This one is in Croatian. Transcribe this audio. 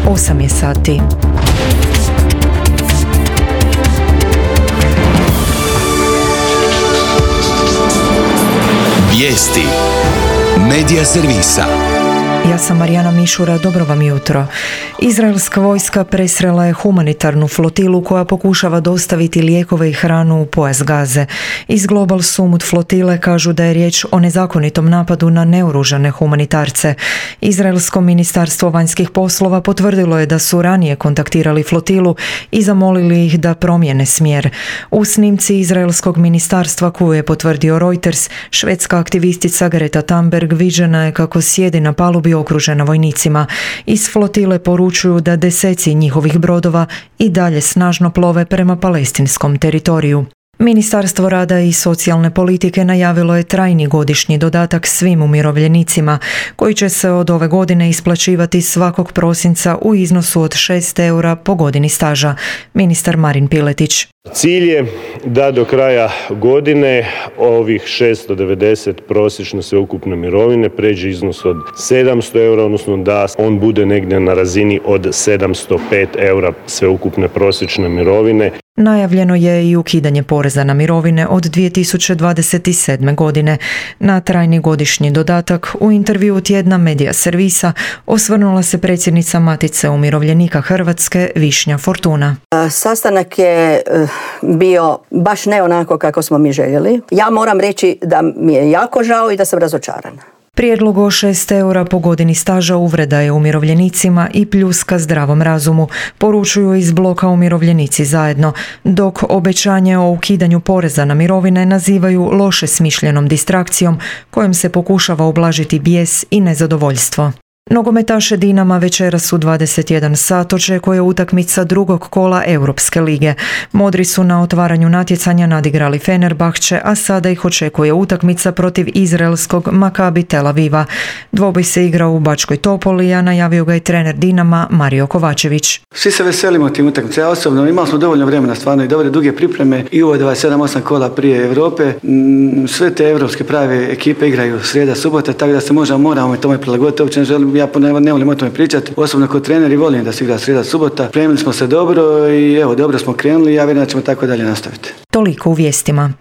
8 je sati. Vijesti Medija servisa. Ja sam Marijana Mišura, dobro vam jutro. Izraelska vojska presrela je humanitarnu flotilu koja pokušava dostaviti lijekove i hranu u pojas Gaze. Iz Global Summit flotile kažu da je riječ o nezakonitom napadu na neoružane humanitarce. Izraelsko ministarstvo vanjskih poslova potvrdilo je da su ranije kontaktirali flotilu i zamolili ih da promijene smjer. U snimci izraelskog ministarstva koju je potvrdio Reuters, švedska aktivistica Greta Thunberg viđena je kako sjedi na palubi okružena vojnicima. Iz flotile poručuju da deseci njihovih brodova i dalje snažno plove prema palestinskom teritoriju. Ministarstvo rada i socijalne politike najavilo je trajni godišnji dodatak svim umirovljenicima, koji će se od ove godine isplaćivati svakog prosinca u iznosu od 6 eura po godini staža. Ministar Marin Piletić. Cilj je da do kraja godine ovih 690 prosječno sveukupne mirovine pređe iznos od 700 eura, odnosno da on bude negdje na razini od 705 eura sveukupne prosječne mirovine. Najavljeno je i ukidanje poreza na mirovine od 2027. godine. Na trajni godišnji dodatak u intervjuu tjedna Medija servisa osvrnula se predsjednica Matice umirovljenika Hrvatske Višnja Fortuna. Sastanak je bio baš ne onako kako smo mi željeli. Ja moram reći da mi je jako žao i da sam razočarana. Prijedlog o 6 eura po godini staža uvreda je umirovljenicima i pljuska zdravom razumu, poručuju iz bloka Umirovljenici zajedno, dok obećanje o ukidanju poreza na mirovine nazivaju loše smišljenom distrakcijom kojom se pokušava ublažiti bijes i nezadovoljstvo. Nogometaše Dinama večeras u 21 sat očekuje utakmica drugog kola Europske lige. Modri su na otvaranju natjecanja nadigrali Fenerbahče, a sada ih očekuje utakmica protiv izraelskog Makabi Tel Aviva. Dvoboj se igra u Bačkoj Topoli, a najavio ga i trener Dinama Mario Kovačević. Svi se veselimo tim utakmice. Ja osobno imali smo dovoljno vremena, stvarno i dobre duge pripreme i ovo 27-8 kola prije Europe. Sve te europske prave ekipe igraju srijeda, subota, tako da se moramo tome prilagoditi. Uopće ne volim o tome pričati. Osobno kao trener i volim da se igra srijeda, subota. Primili smo se dobro i evo, dobro smo krenuli i ja vjerujem da ćemo tako dalje nastaviti. Toliko u vijestima.